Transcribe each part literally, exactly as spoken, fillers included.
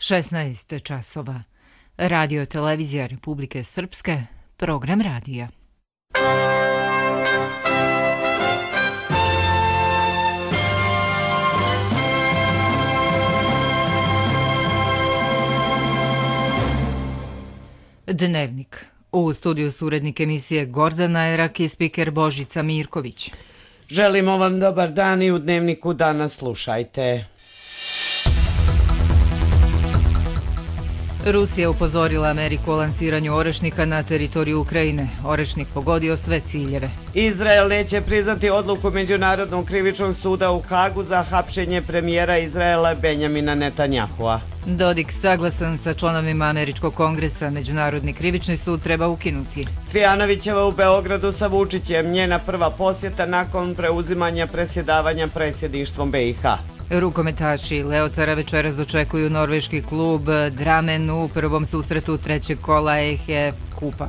šesnaest časova. Radio televizija Republike Srpske, program radija. Dnevnik. U studiju su urednik emisije Gordana Erak i spiker Božica Mirković. Želimo vam dobar dan i u Dnevniku danas slušajte. Rusija upozorila Ameriku o lansiranju orešnika na teritoriju Ukrajine. Orešnik pogodio sve ciljeve. Izrael neće priznati odluku Međunarodnog krivičnog suda u Hagu za hapšenje premijera Izraela Benjamina Netanjahua. Dodik saglasan sa članovima Američkog kongresa. Međunarodni krivični sud treba ukinuti. Cvijanovićeva u Beogradu sa Vučićem, njena prva posjeta nakon preuzimanja presjedavanja predsjedništvom B i H. Rukometaši Leotara večeras dočekuju norveški klub Dramen u prvom susretu trećeg kola E H F kupa.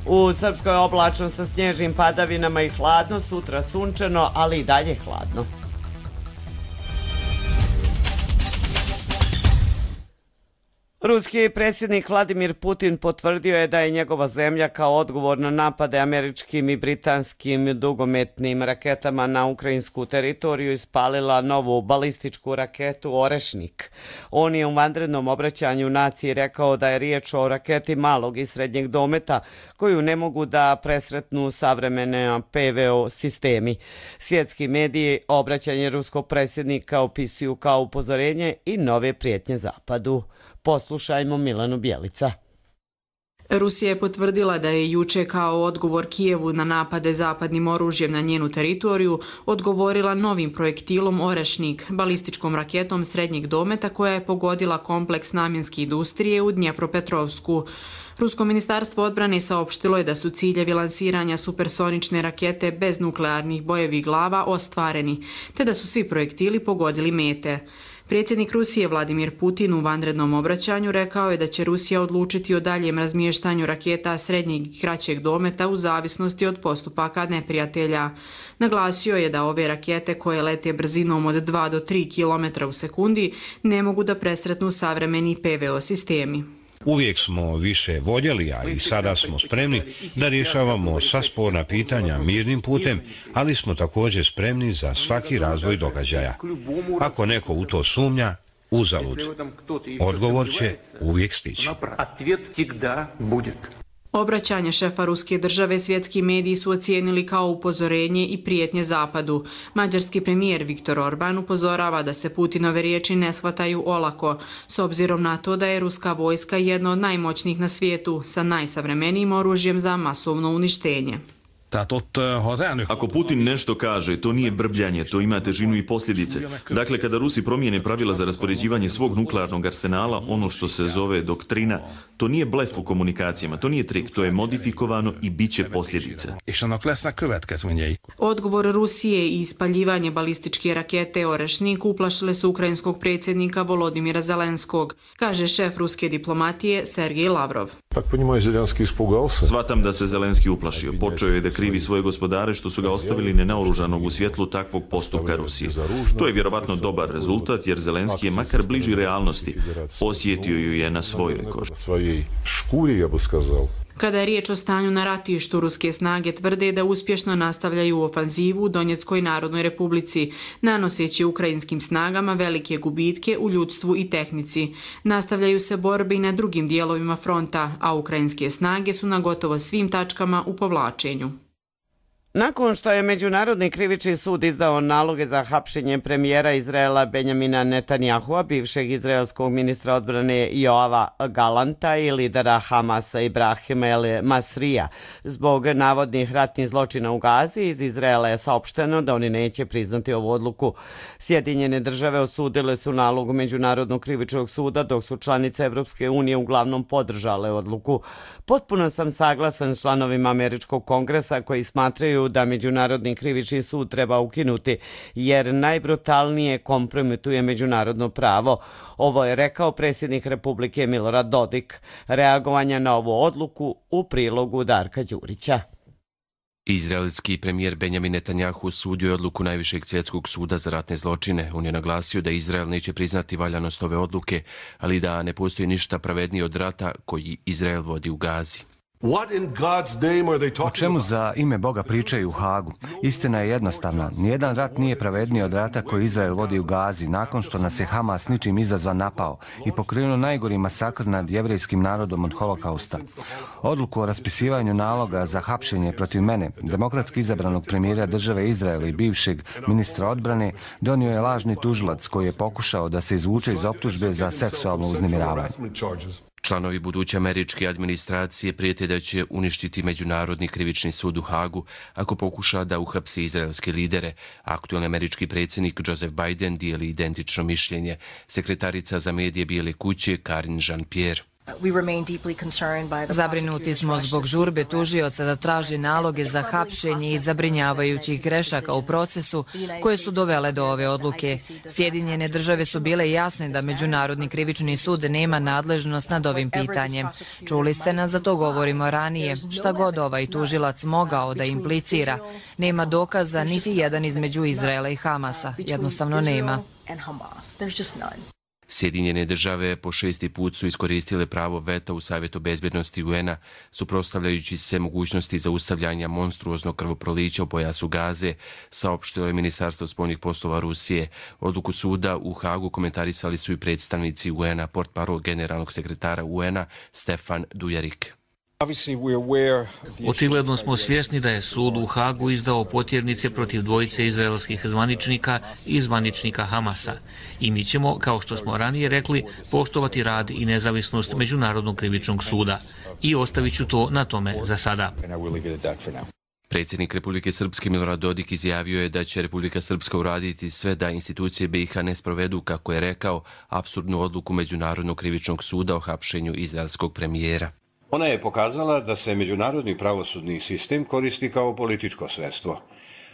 U Srpskoj oblačno sa snježnim padavinama i hladno, sutra sunčano, ali i dalje hladno. Ruski predsjednik Vladimir Putin potvrdio je da je njegova zemlja kao odgovor na napade američkim i britanskim dugometnim raketama na ukrajinsku teritoriju ispalila novu balističku raketu Orešnik. On je u vanrednom obraćanju naciji rekao da je riječ o raketi malog i srednjeg dometa koju ne mogu da presretnu savremene P V O sistemi. Svjetski mediji obraćanje ruskog predsjednika opisuju kao upozorenje i nove prijetnje Zapadu. Poslušajmo Milanu Bjelica. Rusija je potvrdila da je juče kao odgovor Kijevu na napade zapadnim oružjem na njenu teritoriju odgovorila novim projektilom Orešnik, balističkom raketom srednjeg dometa koja je pogodila kompleks namjenske industrije u Dnjepropetrovsku. Rusko ministarstvo odbrane saopštilo je da su ciljevi lansiranja supersonične rakete bez nuklearnih bojevih glava ostvareni, te da su svi projektili pogodili mete. Predsjednik Rusije Vladimir Putin u vanrednom obraćanju rekao je da će Rusija odlučiti o daljem razmještanju raketa srednjeg i kraćeg dometa u zavisnosti od postupaka neprijatelja. Naglasio je da ove rakete koje lete brzinom od dva do tri kilometra u sekundi ne mogu da presretnu savremeni P V O sistemi. Uvijek smo više voljeli, a i sada smo spremni da rješavamo sva sporna pitanja mirnim putem, ali smo također spremni za svaki razvoj događaja. Ako neko u to sumnja, uzalud. Odgovor će uvijek stići. Obraćanje šefa ruske države svjetski mediji su ocijenili kao upozorenje i prijetnje Zapadu. Mađarski premijer Viktor Orban upozorava da se Putinove riječi ne shvataju olako, s obzirom na to da je ruska vojska jedna od najmoćnijih na svijetu sa najsavremenijim oružjem za masovno uništenje. Ako Putin nešto kaže, to nije brbljanje, to ima težinu i posljedice. Dakle, kada Rusi promijene pravila za raspoređivanje svog nuklearnog arsenala, ono što se zove doktrina, to nije blef u komunikacijama, to nije trik, to je modifikovano i bit će posljedice. Odgovor Rusije i ispaljivanje balističke rakete Orešnik uplašile su ukrajinskog predsjednika Volodimira Zelenskog, kaže šef ruske diplomatije Sergej Lavrov. Svatam da se Zelenski uplašio. Počeo je da krivi svoje gospodare što su ga ostavili nenaoružanog u svjetlu takvog postupka Rusije. To je vjerovatno dobar rezultat jer Zelenski je makar bliži realnosti. Osjetio ju je na svojoj koži. Kada je riječ o stanju na ratištu, ruske snage tvrde da uspješno nastavljaju ofanzivu u Donjeckoj narodnoj republici, nanoseći ukrajinskim snagama velike gubitke u ljudstvu i tehnici. Nastavljaju se borbe i na drugim dijelovima fronta, a ukrajinske snage su na gotovo svim tačkama u povlačenju. Nakon što je Međunarodni krivični sud izdao naloge za hapšenje premijera Izraela Benjamina Netanjahua, bivšeg izraelskog ministra odbrane Joava Galanta i lidera Hamasa Ibrahima El Masrija, zbog navodnih ratnih zločina u Gazi, iz Izraela je saopšteno da oni neće priznati ovu odluku. Sjedinjene države osudile su nalogu Međunarodnog krivičnog suda, dok su članice Evropske unije uglavnom podržale odluku. Potpuno sam saglasan s članovima Američkog kongresa koji smatraju da Međunarodni krivični sud treba ukinuti jer najbrutalnije kompromituje međunarodno pravo. Ovo je rekao predsjednik Republike Milorad Dodik. Reagovanja na ovu odluku u prilogu Darka Đurića. Izraelski premijer Benjamin Netanjahu osudio je odluku Najvišeg svjetskog suda za ratne zločine. On je naglasio da Izrael neće priznati valjanost ove odluke, ali da ne postoji ništa pravednije od rata koji Izrael vodi u Gazi. O čemu za ime Boga pričaju u Hagu? Istina je jednostavna. Nijedan rat nije pravedniji od rata koji Izrael vodi u Gazi nakon što nas je Hamas ničim izazvan napao i pokrenuo najgori masakr nad jevrejskim narodom od holokausta. Odluku o raspisivanju naloga za hapšenje protiv mene, demokratski izabranog premijera države Izraela i bivšeg ministra odbrane, donio je lažni tužilac koji je pokušao da se izvuče iz optužbe za seksualno uznemiravanje. Članovi buduće američke administracije prijete da će uništiti Međunarodni krivični sud u Hagu ako pokuša da uhapsi izraelske lidere. Aktualni američki predsjednik Joseph Biden dijeli identično mišljenje. Sekretarica za medije Bijele kuće Karine Jean-Pierre. Zabrinuti smo zbog žurbe tužioca da traži naloge za hapšenje i zabrinjavajućih grešaka u procesu koje su dovele do ove odluke. Sjedinjene države su bile jasne da Međunarodni krivični sud nema nadležnost nad ovim pitanjem. Čuli ste nas da to govorimo ranije. Šta god ovaj tužilac mogao da implicira, nema dokaza niti jedan između Izraela i Hamasa. Jednostavno nema. Sjedinjene države po šesti put su iskoristile pravo veta u Savjetu bezbjednosti U N-a, suprotstavljajući se mogućnosti zaustavljanja monstruoznog krvoprolića u pojasu Gaze, saopštilo je Ministarstvo spoljnih poslova Rusije. Odluku suda u Hagu komentarisali su i predstavnici U N-a, portparol generalnog sekretara U N-a Stefan Dujarric. Očigledno smo svjesni da je sud u Hagu izdao potjernice protiv dvojice izraelskih zvaničnika i zvaničnika Hamasa. I mi ćemo, kao što smo ranije rekli, poštovati rad i nezavisnost Međunarodnog krivičnog suda. I ostavit ću to na tome za sada. Predsjednik Republike Srpske Milorad Dodik izjavio je da će Republika Srpska uraditi sve da institucije B iH ne sprovedu, kako je rekao, apsurdnu odluku Međunarodnog krivičnog suda o hapšenju izraelskog premijera. Ona je pokazala da se međunarodni pravosudni sistem koristi kao političko sredstvo.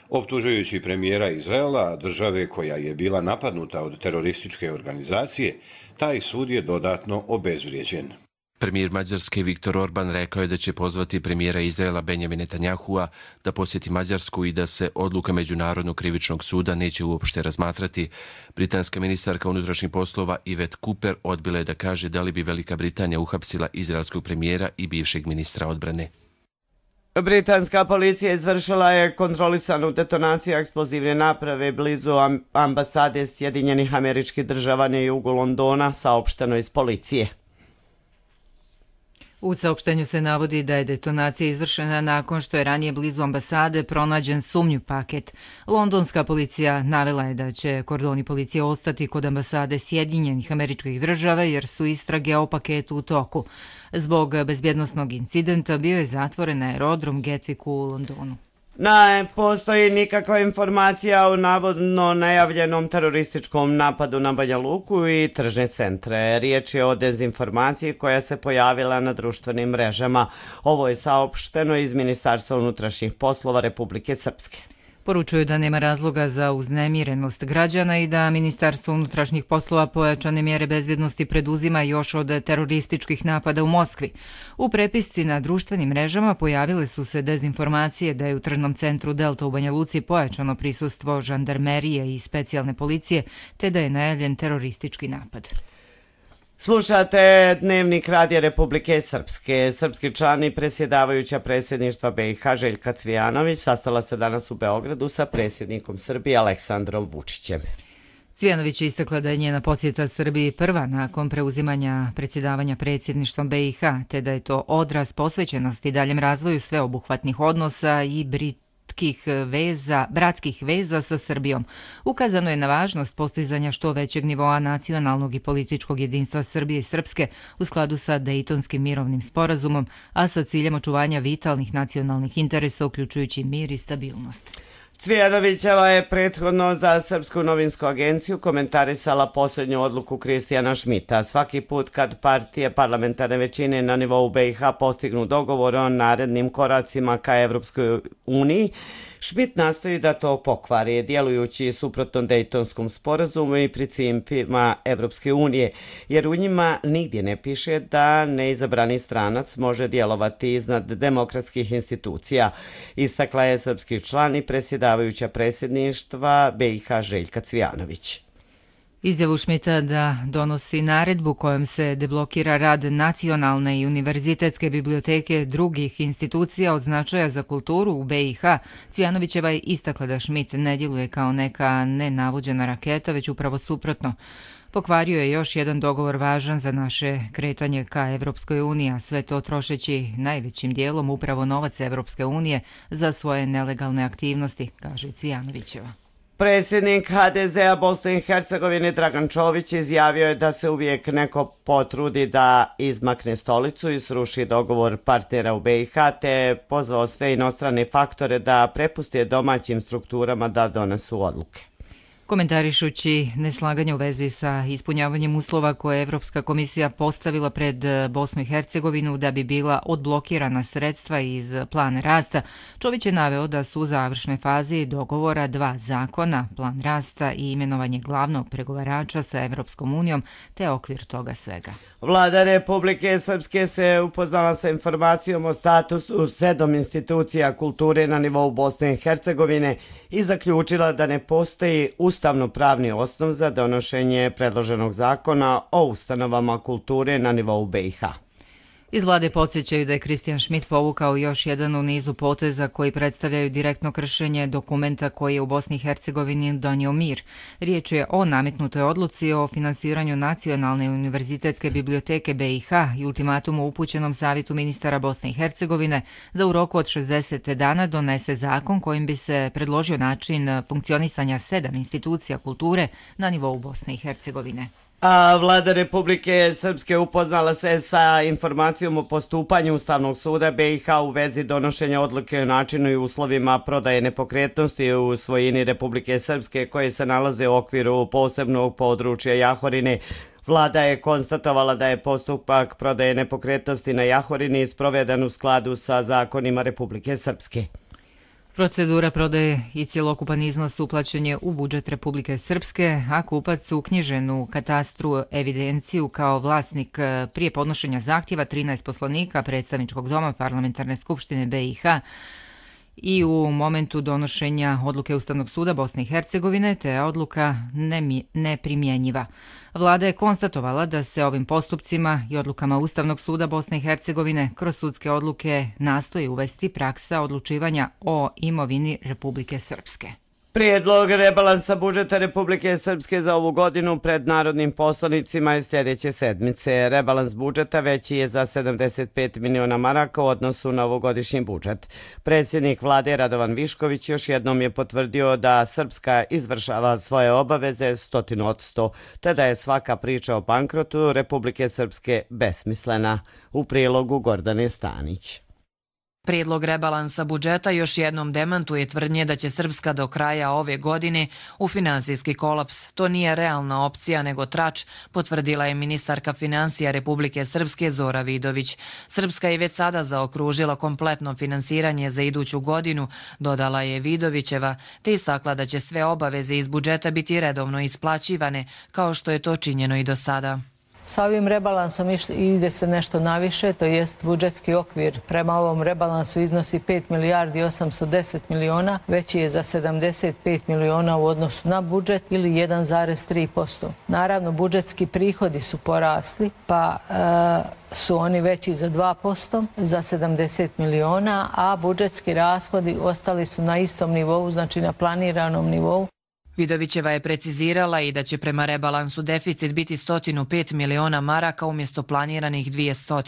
Optužujući premijera Izraela, države koja je bila napadnuta od terorističke organizacije, taj sud je dodatno obezvrijeđen. Premijer Mađarske Viktor Orban rekao je da će pozvati premijera Izraela Benjamina Netanyahua da posjeti Mađarsku i da se odluka Međunarodnog krivičnog suda neće uopšte razmatrati. Britanska ministarka unutrašnjih poslova Yvette Cooper odbila je da kaže da li bi Velika Britanija uhapsila izraelskog premijera i bivšeg ministra odbrane. Britanska policija izvršila je kontrolisanu detonaciju eksplozivne naprave blizu ambasade Sjedinjenih Američkih Država na jugu Londona, saopšteno iz policije. U saopštenju se navodi da je detonacija izvršena nakon što je ranije blizu ambasade pronađen sumnjiv paket. Londonska policija navela je da će kordoni policije ostati kod ambasade Sjedinjenih Američkih Država jer su istrage o paketu u toku. Zbog bezbjednosnog incidenta bio je zatvoren aerodrom Gatwick u Londonu. Ne postoji nikakva informacija o navodno najavljenom terorističkom napadu na Banja Luku i tržne centre. Riječ je o dezinformaciji koja se pojavila na društvenim mrežama. Ovo je saopšteno iz Ministarstva unutrašnjih poslova Republike Srpske. Poručuju da nema razloga za uznemirenost građana i da Ministarstvo unutrašnjih poslova pojačane mjere bezbjednosti preduzima još od terorističkih napada u Moskvi. U prepisci na društvenim mrežama pojavile su se dezinformacije da je u tržnom centru Delta u Banja Luci pojačano prisustvo žandarmerije i specijalne policije, te da je najavljen teroristički napad. Slušate Dnevnik Radija Republike Srpske. Srpski član i predsjedavajuća predsjedništva B iH Željka Cvijanović sastala se danas u Beogradu sa predsjednikom Srbije Aleksandrom Vučićem. Cvijanović je istakla da je njena posjeta Srbiji prva nakon preuzimanja predsjedavanja predsjedništvom B iH, te da je to odraz posvećenosti daljem razvoju sveobuhvatnih odnosa i Brit veza, bratskih veza sa Srbijom. Ukazano je na važnost postizanja što većeg nivoa nacionalnog i političkog jedinstva Srbije i Srpske u skladu sa Dejtonskim mirovnim sporazumom, a sa ciljem očuvanja vitalnih nacionalnih interesa, uključujući mir i stabilnost. Cvijanovićeva je prethodno za Srpsku novinsku agenciju komentarisala posljednju odluku Kristijana Šmita. Svaki put kad partije parlamentarne većine na nivou B i H postignu dogovor o narednim koracima ka Evropskoj uniji, Šmit nastoji da to pokvari, djelujući suprotno Dejtonskom sporazumu i principima Evropske unije, jer u njima nigdje ne piše da neizabrani stranac može djelovati iznad demokratskih institucija, istakla je srpski član i predsjedavajuća predsjedništva B i H Željka Cvijanović. Izjavu Šmita da donosi naredbu kojom se deblokira rad nacionalne i univerzitetske biblioteke drugih institucija od značaja za kulturu u B i H, Cvijanovićeva je istakla da Šmit ne djeluje kao neka nenavođena raketa, već upravo suprotno. Pokvario je još jedan dogovor važan za naše kretanje ka Evropskoj uniji, a sve to trošeći najvećim dijelom upravo novac Evropske unije za svoje nelegalne aktivnosti, kaže Cvijanovićeva. Predsjednik H D Z-a Bosne i Hercegovine Dragan Čović izjavio je da se uvijek neko potrudi da izmakne stolicu i sruši dogovor partnera u B i H, te pozvao sve inostrane faktore da prepuste domaćim strukturama da donesu odluke. Komentarišući neslaganje u vezi sa ispunjavanjem uslova koje je Evropska komisija postavila pred Bosnu i Hercegovinu da bi bila odblokirana sredstva iz plana rasta, Čović je naveo da su u završnoj fazi dogovora dva zakona, plan rasta i imenovanje glavnog pregovarača sa Evropskom unijom, te okvir toga svega. Vlada Republike Srpske se upoznala sa informacijom o statusu sedam institucija kulture na nivou Bosne i Hercegovine i zaključila da ne postoji ustavno-pravni osnov za donošenje predloženog zakona o ustanovama kulture na nivou B i H. Iz vlade podsjećaju da je Kristijan Šmit povukao još jedan u nizu poteza koji predstavljaju direktno kršenje dokumenta koji je u Bosni i Hercegovini donio mir. Riječ je o nametnutoj odluci o finansiranju Nacionalne univerzitetske biblioteke B i H i ultimatumu upućenom Savjetu ministara Bosne i Hercegovine da u roku od šezdeset dana donese zakon kojim bi se predložio način funkcionisanja sedam institucija kulture na nivou Bosne i Hercegovine. A vlada Republike Srpske upoznala se sa informacijom o postupanju Ustavnog suda B i H u vezi donošenja odluke o načinu i uslovima prodaje nepokretnosti u svojini Republike Srpske koje se nalaze u okviru posebnog područja Jahorine. Vlada je konstatovala da je postupak prodaje nepokretnosti na Jahorini sproveden u skladu sa zakonima Republike Srpske. Procedura prodaje i cjelokupan iznos uplaćen je u budžet Republike Srpske, a kupac uknjižen u katastru evidenciju kao vlasnik prije podnošenja zahtjeva trinaest poslanika Predstavničkog doma Parlamentarne skupštine B i H i u momentu donošenja odluke Ustavnog suda Bosne i Hercegovine, te je odluka neprimjenjiva. Vlada je konstatovala da se ovim postupcima i odlukama Ustavnog suda Bosne i Hercegovine kroz sudske odluke nastoji uvesti praksa odlučivanja o imovini Republike Srpske. Prijedlog rebalansa budžeta Republike Srpske za ovu godinu pred narodnim poslanicima je sljedeće sedmice. Rebalans budžeta veći je za sedamdeset pet miliona maraka u odnosu na ovogodišnji budžet. Predsjednik vlade Radovan Višković još jednom je potvrdio da Srpska izvršava svoje obaveze stotinu od sto, te da je svaka priča o bankrotu Republike Srpske besmislena. U prilogu Gordane Stanić. Prijedlog rebalansa budžeta još jednom demantuje tvrdnje da će Srpska do kraja ove godine u finansijski kolaps. To nije realna opcija nego trač, potvrdila je ministarka financija Republike Srpske Zora Vidović. Srpska je već sada zaokružila kompletno finansiranje za iduću godinu, dodala je Vidovićeva, te istakla da će sve obaveze iz budžeta biti redovno isplaćivane, kao što je to činjeno i do sada. Sa ovim rebalansom ide se nešto naviše, to jest budžetski okvir prema ovom rebalansu iznosi pet milijardi osamsto deset miliona, veći je za sedamdeset pet miliona u odnosu na budžet ili jedan zarez tri posto. Naravno, budžetski prihodi su porasli, pa e, su oni veći za dva posto, za sedamdeset miliona, a budžetski rashodi ostali su na istom nivou, znači na planiranom nivou. Vidovićeva je precizirala i da će prema rebalansu deficit biti sto pet miliona maraka umjesto planiranih dvjesto.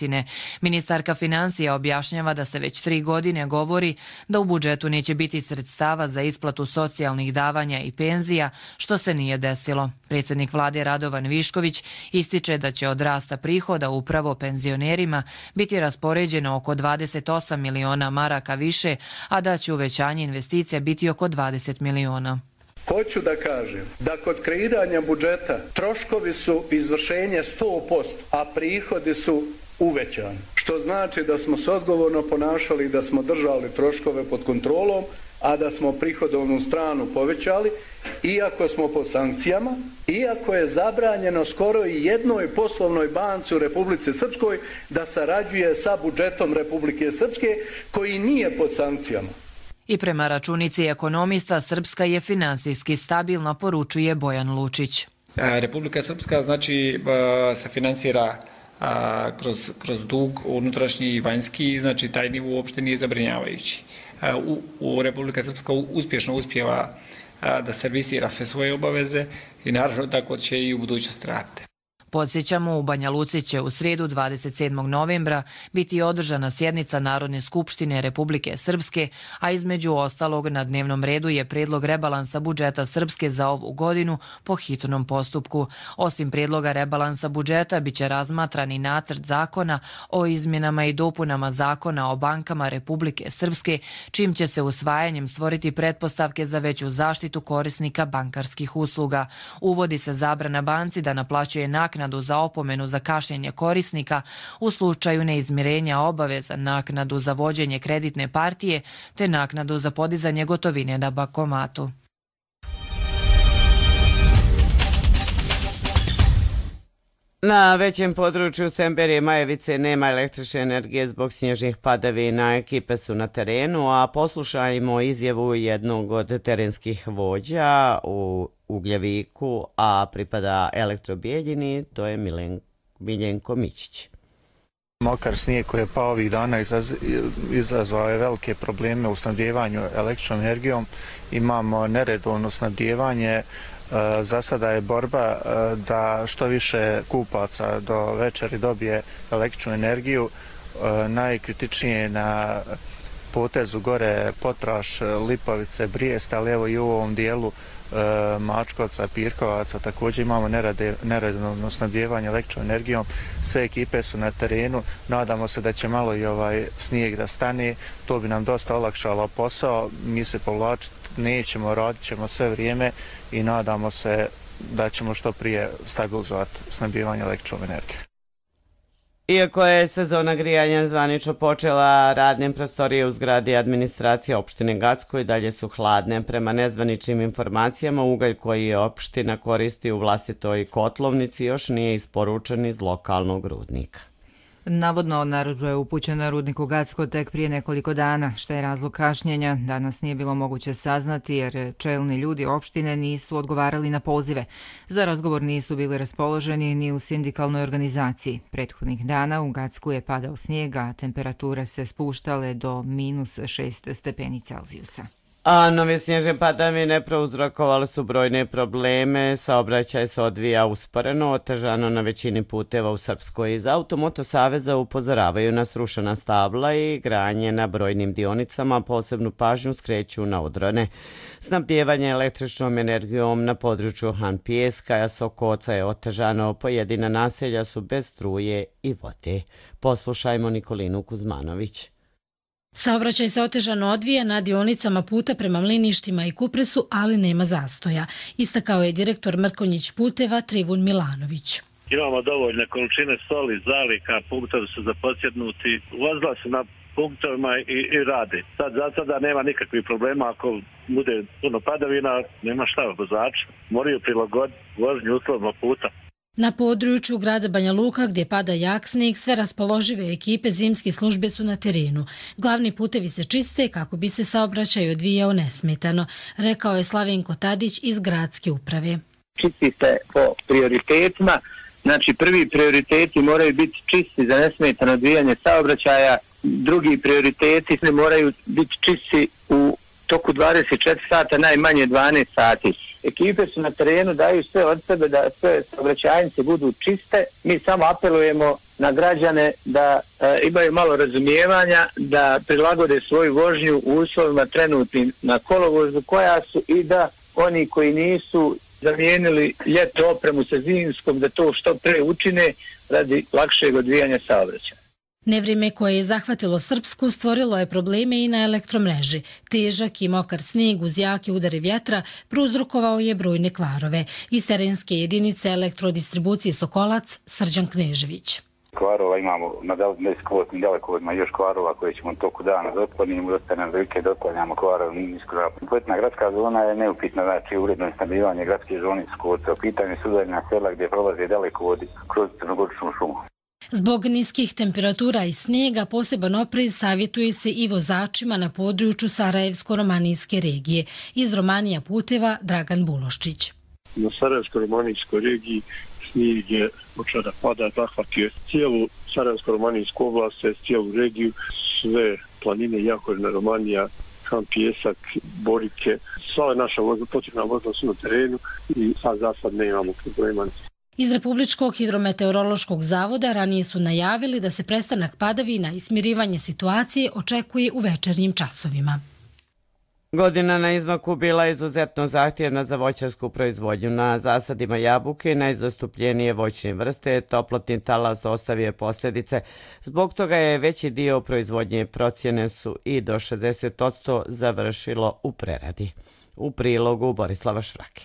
Ministarka financija objašnjava da se već tri godine govori da u budžetu neće biti sredstava za isplatu socijalnih davanja i penzija, što se nije desilo. Predsjednik vlade Radovan Višković ističe da će od rasta prihoda upravo penzionerima biti raspoređeno oko dvadeset osam miliona maraka više, a da će uvećanje investicija biti oko dvadeset miliona. Hoću da kažem da kod kreiranja budžeta troškovi su izvršenje sto posto, a prihodi su uvećani. Što znači da smo se odgovorno ponašali i da smo držali troškove pod kontrolom, a da smo prihodovnu stranu povećali, iako smo pod sankcijama, iako je zabranjeno skoro i jednoj poslovnoj banci u Republici Srpskoj da sarađuje sa budžetom Republike Srpske, koji nije pod sankcijama. I prema računici ekonomista, Srpska je finansijski stabilna, poručuje Bojan Lučić. Republika Srpska znači se finansira kroz, kroz dug unutrašnji i vanjski, znači taj nivo uopšte nije zabrinjavajući. U, u Republika Srpska uspješno uspjeva da servisira sve svoje obaveze i naravno tako će i u budućnosti raditi. Podsjećamo, u Banja Luci će u srijedu dvadeset sedmog novembra biti održana sjednica Narodne skupštine Republike Srpske, a između ostalog na dnevnom redu je prijedlog rebalansa budžeta Srpske za ovu godinu po hitnom postupku. Osim prijedloga rebalansa budžeta biće razmatran i nacrt zakona o izmjenama i dopunama zakona o bankama Republike Srpske, čim će se usvajanjem stvoriti pretpostavke za veću zaštitu korisnika bankarskih usluga. Uvodi se zabrana banci da naplaćuje naknadu za opomenu za kašnjenje korisnika u slučaju neizmirenja obaveza, naknadu za vođenje kreditne partije te naknadu za podizanje gotovine na bankomatu. Na većem području Semberije i Majevice nema električne energije zbog snježnih padavina. Ekipe su na terenu, a poslušajmo izjavu jednog od terenskih vođa u Ugljeviku, a pripada Elektrobijeljini, to je Milen, Miljenko Mićić. Mokar snijeg koji je pao ovih dana izaz, izazvao je velike probleme u snabdijevanju električnom energijom. Imamo neredovno snabdijevanje. Za sada je borba da što više kupaca do večeri dobije električnu energiju. Najkritičnije je na potezu gore Potraš, Lipovice, Brijest, ali evo i u ovom dijelu Mačkovca, Pirkovaca također imamo neredovno snabdijevanje električnom energijom. Sve ekipe su na terenu, nadamo se da će malo i ovaj snijeg da stane, to bi nam dosta olakšalo posao. Mi se povlačiti nećemo, radit ćemo sve vrijeme i nadamo se da ćemo što prije stabilizovati snabdijevanje električnom energijom. Iako je sezona grijanja zvanično počela, radne prostorije u zgradi administracije opštine Gacko i dalje su hladne. Prema nezvaničnim informacijama, ugalj koji je opština koristi u vlastitoj kotlovnici još nije isporučen iz lokalnog rudnika. Navodno, narudžba je upućena rudniku Gacko tek prije nekoliko dana. Šta je razlog kašnjenja? Danas nije bilo moguće saznati jer čelni ljudi opštine nisu odgovarali na pozive. Za razgovor nisu bili raspoloženi ni u sindikalnoj organizaciji. Prethodnih dana u Gacku je padao snijeg, a temperature se spuštale do minus šest stepeni Celzijusa. A nove snježne padavine prouzrokovale su brojne probleme, saobraćaj se odvija usporeno, otežano na većini puteva u Srpskoj. Iz Automoto saveza upozoravaju na srušena stabla i granje na brojnim dionicama, posebnu pažnju skreću na odrone. Snabdijevanje električnom energijom na području Han Pijeska, Sokoca je otežano, pojedina naselja su bez struje i vode. Poslušajmo Nikolinu Kuzmanović. Saobraćaj se otežano odvija na dionicama puta prema Mliništima i Kupresu, ali nema zastoja. Istakao je direktor Mrkonjić puteva Trivun Milanović. Imamo dovoljne količine soli, zalika, punktovi su zaposjednuti, vozila se na punktovima i, i radi. Sad za sada nema nikakvih problema, ako bude puno padavina, nema šta vozač, moraju prilagoditi vožnju uslovno puta. Na području grada Banja Luka, gdje pada jak snijeg, sve raspoložive ekipe zimske službe su na terenu. Glavni putevi se čiste kako bi se saobraćaj odvijao nesmetano, rekao je Slavenko Tadić iz gradske uprave. Čisti se po prioritetima, znači prvi prioriteti moraju biti čisti za nesmetano odvijanje saobraćaja, drugi prioriteti ne moraju biti čisti u toku dvadeset četiri sata, najmanje dvanaest sati. ekipe su na terenu, daju sve od sebe da sve saobraćajnice budu čiste. Mi samo apelujemo na građane da e, imaju malo razumijevanja, da prilagode svoju vožnju u uslovima trenutnim na kolovozu koja su i da oni koji nisu zamijenili ljetnu opremu sa zimskom, da to što pre učine radi lakšeg odvijanja saobraćaja. Nevrijeme koje je zahvatilo Srpsku stvorilo je probleme i na elektromreži. Težak i mokar snijeg uz jake udare vjetra prouzrokovao je brojne kvarove. Iz terenske jedinice elektrodistribucije Sokolac, Srđan Knežević. Kvarova imamo na niskoputnim dalekovodima još kvarova koje ćemo toku dana da otklonimo, ostane velike da otklanjamo kvarova niskoputna. Kompletna gradska zona je neupitna, znači uredno snabdijevanje gradske zone Sokolaca. U pitanju su udaljena sela gdje prolaze dalekovodi kroz crnogoričnu šumu. Zbog niskih temperatura i snijega poseban oprez savjetuje se i vozačima na području Sarajevsko-romanijske regije. Iz Romanija puteva Dragan Buloščić. Na Sarajevsko-romanijskoj regiji snijeg je počeo da pada, zahvatio cijelu Sarajevsko-romanijsku oblast, cijelu regiju, sve planine, Jahorina, Romanija, Kam, Pijesak, Borike. Sva naša potrebna vozila su na terenu i sad za sad ne imamo problema. Iz Republičkog hidrometeorološkog zavoda ranije su najavili da se prestanak padavina i smirivanje situacije očekuje u večernjim časovima. Godina na izmaku bila je izuzetno zahtjevna za voćarsku proizvodnju. Na zasadima jabuke najzastupljenije voćne vrste toplotni talas ostavio posljedice. Zbog toga je veći dio proizvodnje, procjene su i do šezdeset posto završilo u preradi. U prilogu Borislava Švrake.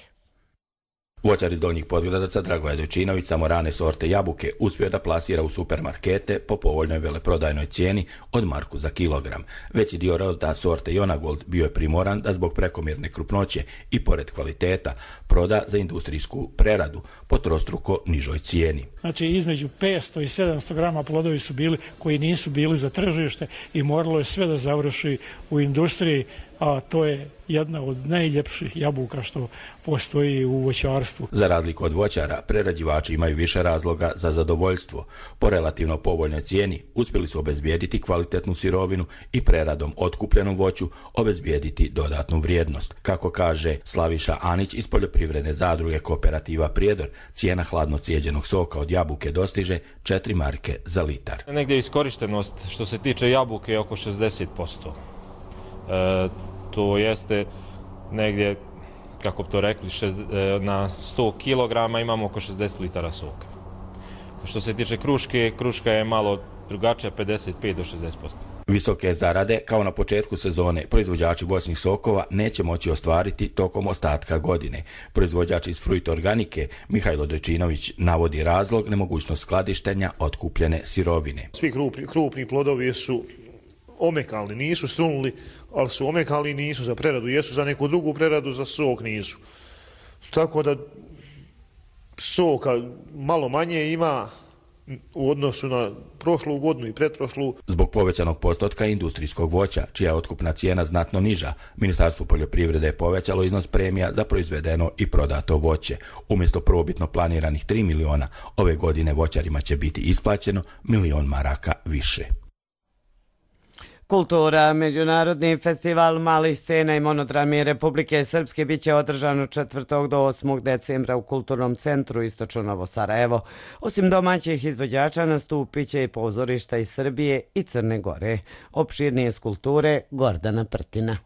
Voćar iz Donjih Podgradaca Dragoje Dojčinović samo rane sorte jabuke uspio da plasira u supermarkete po povoljnoj veleprodajnoj cijeni od marku za kilogram. Veći dio roda sorte Jonagold bio je primoran da zbog prekomjerne krupnoće i pored kvaliteta proda za industrijsku preradu po trostruko nižoj cijeni. Znači između petsto i sedamsto grama plodovi su bili koji nisu bili za tržište i moralo je sve da završi u industriji, a to je jedna od najljepših jabuka što postoji u voćarstvu. Za razliku od voćara, prerađivači imaju više razloga za zadovoljstvo. Po relativno povoljnoj cijeni uspjeli su obezbijediti kvalitetnu sirovinu i preradom otkupljenom voću obezbijediti dodatnu vrijednost. Kako kaže Slaviša Anić iz poljoprivredne zadruge Kooperativa Prijedor, cijena hladno cijeđenog soka od jabuke dostiže četiri marke za litar. Negdje iskorištenost što se tiče jabuke je oko šezdeset posto. E, to jeste negdje, kako bi to rekli, šest, na sto kilograma imamo oko šezdeset litara soka. Što se tiče kruške, kruška je malo drugačija, pedeset pet do šezdeset posto. Visoke zarade, kao na početku sezone, proizvođači voćnih sokova neće moći ostvariti tokom ostatka godine. Proizvođač iz Fruit Organike, Mihajlo Dojčinović, navodi razlog nemogućnost skladištenja otkupljene sirovine. Svi krupni, krupni plodovi su omekalni, nisu strunuli, ali su omekalni, nisu za preradu, jesu za neku drugu preradu, za sok nisu. Tako da soka malo manje ima u odnosu na prošlu godinu i pretprošlu. Zbog povećanog postotka industrijskog voća, čija je otkupna cijena znatno niža, Ministarstvo poljoprivrede je povećalo iznos premija za proizvedeno i prodato voće. Umjesto prvobitno planiranih tri miliona, ove godine voćarima će biti isplaćeno milion maraka više. Kultura, Međunarodni festival malih scena i monodrami Republike Srpske bit će održan od četvrtog do osmog decembra u Kulturnom centru Istočno Novo Sarajevo. Osim domaćih izvođača nastupit će i pozorišta iz Srbije i Crne Gore. Opširnije skulpture Gordana Prtina.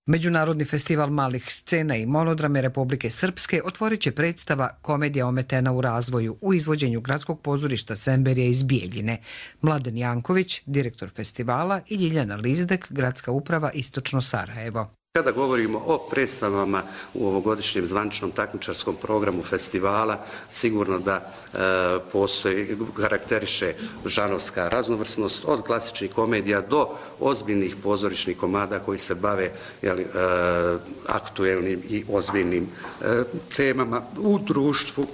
Međunarodni festival malih scena i monodrame Republike Srpske otvorit će predstava Komedija ometena u razvoju u izvođenju Gradskog pozorišta Semberija iz Bijeljine. Mladen Janković, direktor festivala, i Ljiljana Lizdek, Gradska uprava Istočno Sarajevo. Kada govorimo o predstavama u ovogodišnjem zvaničnom takmičarskom programu festivala, sigurno da e, postoji, karakteriše žanrovska raznovrsnost od klasičnih komedija do ozbiljnih pozorišnih komada koji se bave jeli, e, aktuelnim i ozbiljnim e, temama u društvu.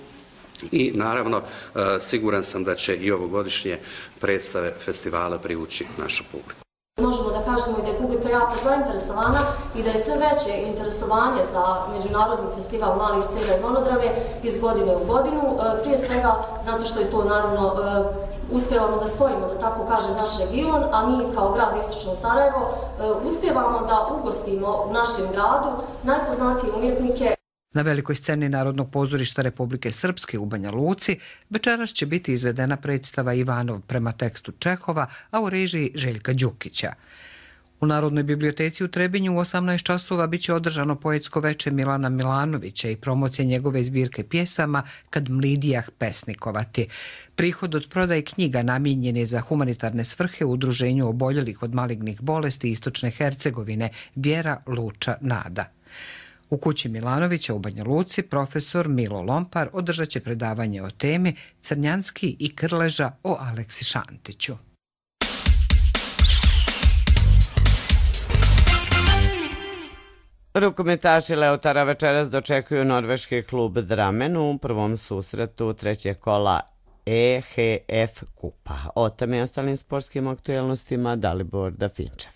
I naravno, e, siguran sam da će i ovogodišnje predstave festivala privući našu publiku. Možemo da kažemo i da je publika jako zainteresovana i da je sve veće interesovanje za Međunarodni festival malih scena i monodrame iz godine u godinu. Prije svega zato što je to naravno uspijevamo da spojimo, da tako kažem, naš region, a mi kao grad Istočno Sarajevo uspijevamo da ugostimo u našem gradu najpoznatije umjetnike. Na velikoj sceni Narodnog pozorišta Republike Srpske u Banja Luci večeras će biti izvedena predstava Ivanov prema tekstu Čehova, a u režiji Željka Đukića. U Narodnoj biblioteci u Trebinju u osamnaest časova biće održano poetsko veče Milana Milanovića i promocija njegove zbirke pjesama Kad mlidijah pesnikovati. Prihod od prodaje knjiga namijenjen je za humanitarne svrhe u udruženju oboljelih od malignih bolesti Istočne Hercegovine Vjera, Luča, Nada. U kući Milanovića u Banja Luci profesor Milo Lompar održat će predavanje o temi Crnjanski i Krleža o Aleksi Šantiću. Rukometaši Leotara večeras dočekuju norveški klub Drammen u prvom susretu trećeg kola E H F kupa. O tome i ostalim sportskim aktualnostima Dalibor Dafinčev.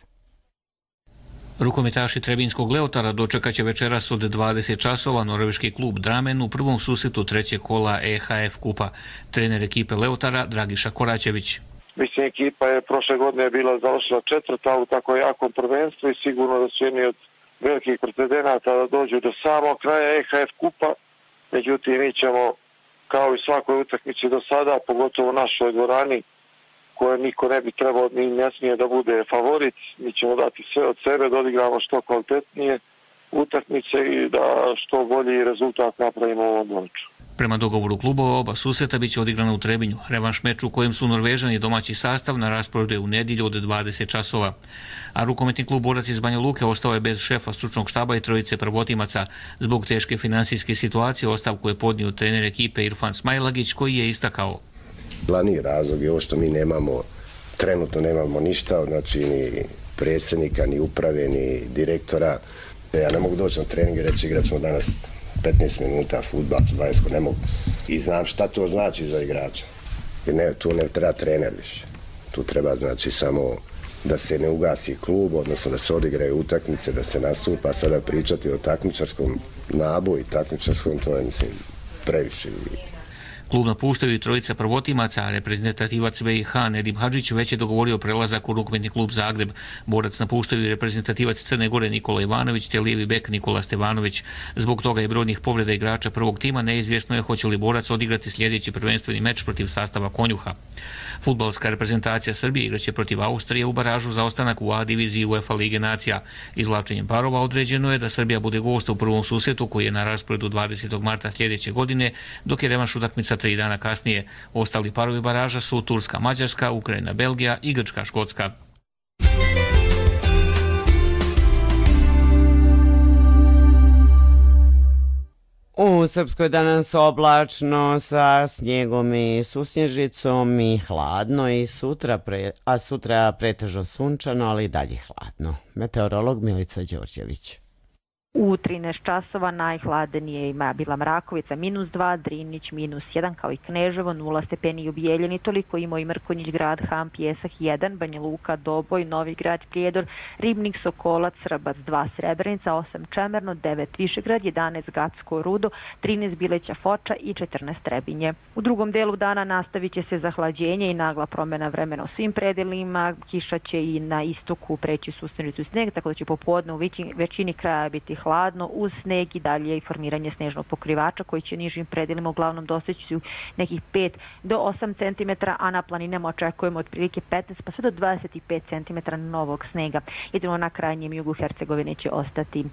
Rukometaši Trebinskog Leotara dočekaće večeras od dvadeset časova norveški klub Drammen u prvom susretu trećeg kola E H F kupa. Trener ekipe Leotara Dragiša Koračević. Mislim, ekipa je prošle godine bila završila četvrta u tako jakom prvenstvu i sigurno da su jedni od velikih precedenata da dođu do samog kraja E H F kupa. Međutim, mi ćemo kao i svakoj utakmici do sada, pogotovo u našoj dvorani, koje niko ne bi trebao ni ne smije da bude favorit, mi ćemo dati sve od sebe da odigramo što kvalitetnije utakmice i da što bolji rezultat napravimo u ovom meču. Prema dogovoru klubova oba susreta biće odigrana u Trebinju. Revanš meč u kojem su Norvežani domaći sastav na rasporedu je u nedjelju od dvadeset časova. A rukometni klub Borac iz Banja Luke ostao je bez šefa stručnog štaba i trojice prvotimaca. Zbog teške finansijske situacije ostavku je podnio trener ekipe Irfan Smajlagić koji je istakao. Glavni razlog je ovo što mi nemamo, trenutno nemamo ništa, znači ni predsjednika, ni uprave, ni direktora. Ja ne mogu doći na trening i reći igrat ćemo danas petnaest minuta fudbal, dvadeset, ne mogu. I znam šta to znači za igrača. Jer ne, tu ne treba trener više. Tu treba znači samo da se ne ugasi klub, odnosno da se odigraju utakmice, da se nastupa, sada pričati o takmičarskom naboju i takmičarskom, to je mislim previše. Klub napuštaju i trojica prvotimaca, a reprezentativac B i H Nedim Hadžić već je dogovorio prelazak u rukometni klub Zagreb. Borac napuštaju i reprezentativac Crne Gore Nikola Ivanović te lijevi bek Nikola Stevanović. Zbog toga je brojnih povreda igrača prvog tima, neizvjesno je hoće li Borac odigrati sljedeći prvenstveni meč protiv sastava Konjuha. Fudbalska reprezentacija Srbije igraće protiv Austrije u baražu za ostanak u A diviziji UEFA Lige nacija. Izvlačenjem parova određeno je da Srbija bude gost u prvom susretu koji je na rasporedu dvadesetog marta sljedeće godine, dok je revanš utakmica tri dana kasnije. Ostali parovi baraža su Turska, Mađarska, Ukrajina, Belgija i Grčka, Škotska. U Srpskoj danas oblačno sa snijegom i susnježicom i hladno i sutra, pre, a sutra pretežno sunčano, ali i dalje hladno. Meteorolog Milica Đorđević. U trinaest časova najhladenije ima bila Mrakovica minus dva, Drinić minus jedan, kao i Kneževo, nula stepeni i u Bijeljini, toliko imao i Mrkonjić grad, Ham, Pjesak jedan, Banja Luka, Doboj, Novi grad, Prijedor, Ribnik, Sokolac, Srbac dva, Srebrenica, osam Čemerno, devet Višegrad, jedanaest Gacko, Rudo, trinaest Bileća, Foča i četrnaest Trebinje. U drugom delu dana nastavit će se zahlađenje i nagla promjena vremena u svim predelima, kiša će i na istoku preći susrenicu sneg, tako da će popodne u većini kraja biti hladno uz sneg i dalje i formiranje snežnog pokrivača koji će nižim predelima uglavnom doseći nekih pet do osam centimetara, a na planinama očekujemo otprilike petnaest pa sve do dvadeset pet centimetara novog snega. Jedino na krajnjem jugu Hercegovine će ostati uh,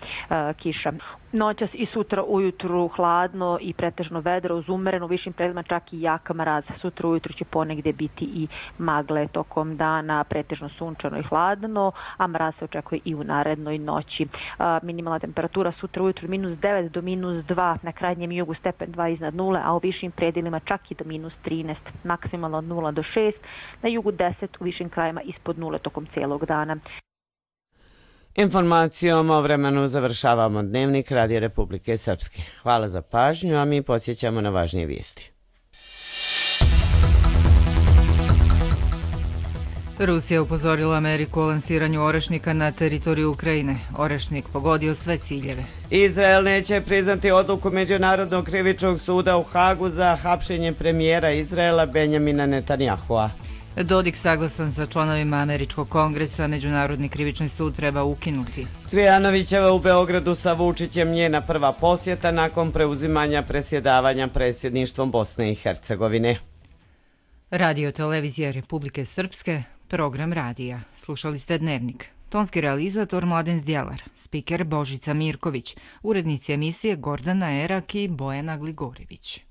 kiša. Noćas i sutra ujutru hladno i pretežno vedro uz umereno u višim predelima, čak i jak mraz. Sutra ujutru će ponegde biti i magle, tokom dana pretežno sunčano i hladno, a mraz se očekuje i u narednoj noći. Uh, minimalna temperatura sutra ujutru minus devet do minus dva, na krajnjem jugu stepen dva iznad nule, a u višim predelima čak i do minus trinaest, maksimalno od nula do šest, na jugu deset, u višim krajima ispod nule tokom cijelog dana. Informacijom o vremenu završavamo Dnevnik Radio Republike Srpske. Hvala za pažnju, a mi podsjećamo na važnije vijesti. Rusija upozorila Ameriku o lansiranju orešnika na teritoriju Ukrajine. Orešnik pogodio sve ciljeve. Izrael neće priznati odluku Međunarodnog krivičnog suda u Hagu za hapšenje premijera Izraela Benjamina Netanjahua. Dodik saglasan sa članovima Američkog kongresa, Međunarodni krivični sud treba ukinuti. Cvijanovićeva u Beogradu sa Vučićem, njena prva posjeta nakon preuzimanja presjedavanja predsjedništvom Bosne i Hercegovine. Radio televizija Republike Srpske, program radija. Slušali ste Dnevnik. Tonski realizator Mladen Zdjelar, spiker Božica Mirković, urednici emisije Gordana Erak i Bojana Gligorivić.